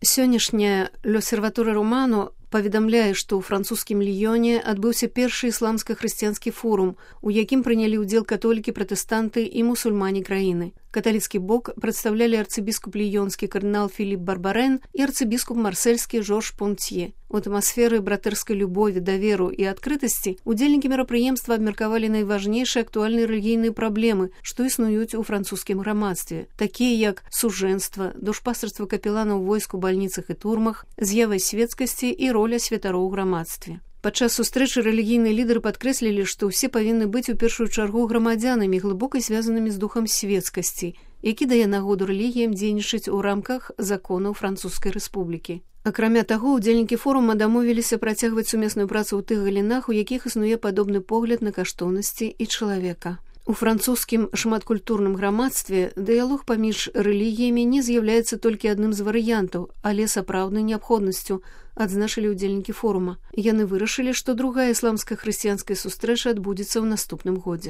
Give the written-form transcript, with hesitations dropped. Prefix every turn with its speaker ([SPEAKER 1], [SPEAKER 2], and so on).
[SPEAKER 1] Сённяшняя «L'Osservatore Romano» паведамляе, што ў французскім Ліёне адбыўся першы ісламска-хрысціянскі форум, у якім прынялі ўдзел католікі, пратэстанты і мусульмане краіны. Каталіцкі бок прадстаўлялі арцыбіскуп ліёнскі кардынал Філіп Барбарен і арцыбіскуп марсельскі Жорж Понтье. У атмасферы братэрскай любові, даверу і адкрытасці удзельнікі мерапрыемства абмеркавалі найважнейшыя актуальныя рэлігійныя праблемы, што існуюць у французскім грамадстве, такія як сужэнства, душпастарства капеланаў войск у бальніцах і турмах, з'ява свецкасці і роля святароў у грамадстве. Падчас сустрэчы рэлігійныя лідары падкрэслілі, што ўсе павінны быць у першую чаргу грамадзянамі, глыбока звязанымі з духам свецкасці, які дае нагоду рэлігіям дзейнічаць у рамках законаў Французскай рэспублікі. Акрамя таго, удзельнікі форума дамовіліся працягваць сумесную працу ў тых галінах, у якіх існуе падобны погляд на каштоўнасці і чалавека. У французскім шматкультурным грамадстве дыялог паміж рэлігіямі не з'яўляецца толькі адным з варыянтаў, але сапраўднай неабходнасцю, адзначылі ўдзельнікі форума. Яны вырашылі, што другая ісламска-хрысціянская сустрэча адбудзецца ў наступным годзе.